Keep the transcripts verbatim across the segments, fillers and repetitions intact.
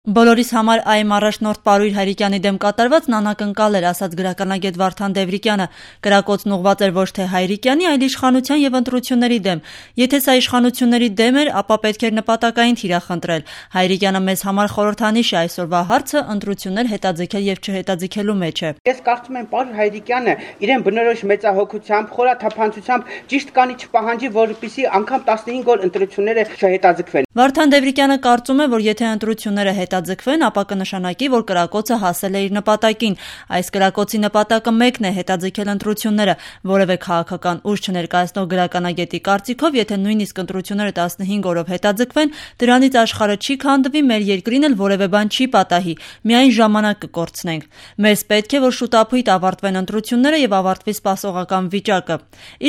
Բոլորիս համար այ առաջնորդ Պարույր Հայրիկյանի դեմ կատարվածն անակնկալ էր, ասաց գրականագետ Վարդան Դևրիկյանը։ Կրակոցն ուղղված էր ոչ թե Հայրիկյանի, այլ իշխանության եւ ընտրությունների դեմ։ Եթե սա իշխանությունների դեմ էր, ապա պետք էր նպատակային թիրախնդրել։ Հայրիկյանը մեզ համար խորհրդանիշ է, այսօրվա հարցը ընտրություններ հետաձգել եւ չհետաձգելու մեջ է։ Ես կարծում եմ Պարույր Հայրիկյանը իրեն բնորոշ մեծահոգությամբ, խորաթափանցությամբ ճիշտ կանի չպահանջի, որպեսզի անգամ տասնհինգ օր ընտրությունները չհետաձգվեն։ Վարդան Դևրիկյանը կարծում է, որ եթե ընտրությունները հետաձգվեն, ապա կնշանակի, որ կրակոցը հասել է իր նպատակին։ Այս կրակոցի նպատակը մեկն է՝ հետաձգել ընտրությունները։ Որևէ քաղաքական ուժ չներկայացնող գրականագետի կարծիքով, եթե նույնիսկ ընտրությունները տասնհինգ օրով հետաձգվեն, դրանից աշխարհը չի քանդվի, մեր երկրին էլ որևէ բան չի պատահի, միայն ժամանակ կկորցնենք։ Մեզ պետք է, որ շուտափույթ ավարտվեն ընտրությունները եւ ավարտվի սպասողական վիճակը։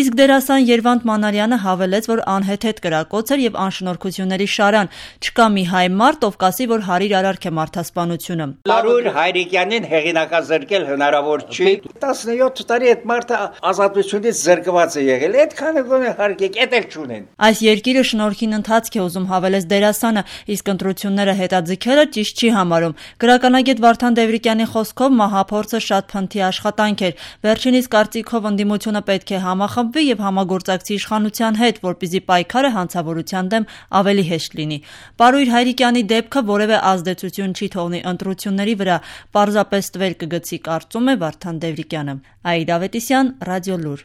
Իսկ դերասան Երվանդ Մանարյանը հավելեց, որ անհեթեթ կրակոց էր եւ անշնորհքությունների շարան։ Չկա մի հայ մարդ, ով կասի, որ հարիր արարք է մարդասպանությունը։ Պարույր Հայրիկյանին հեղինակազրկել հնարավոր չի։ տասնյոթ տարի այդ մարդը ազատությունից զրկված է եղել։ Այդքանը գոնե հարգեք, էդ էլ չունեն։ Այս երկիրը շնորհքին ընթացք է ուզում, հավելեց դերասանը, իսկ ընտրությունները հետաձգելը ճիշտ չի համարում։ Գրականագետ Վարդան Դևրիկյանի խոսքով մահափորձը շատ փնթի աշխատանք էր։ Վերջինիս կարծիքով ընդդիմությունը պետք է համախմբվի եւ համագործակցի իշխանության հետ, որպեսզի պայքարը հանցավորության դեմ ավելի հեշտ լինի։ Պարույր Հայրիկյանի դեպքը որևէ ազդեցություն չի թողնի ընտրությունների վրա, պարզապես տվել կգցի, կարծում է Վարդան Դևրիկյանը։ Աիդ Ավետիսյան, Ռադիոլուր։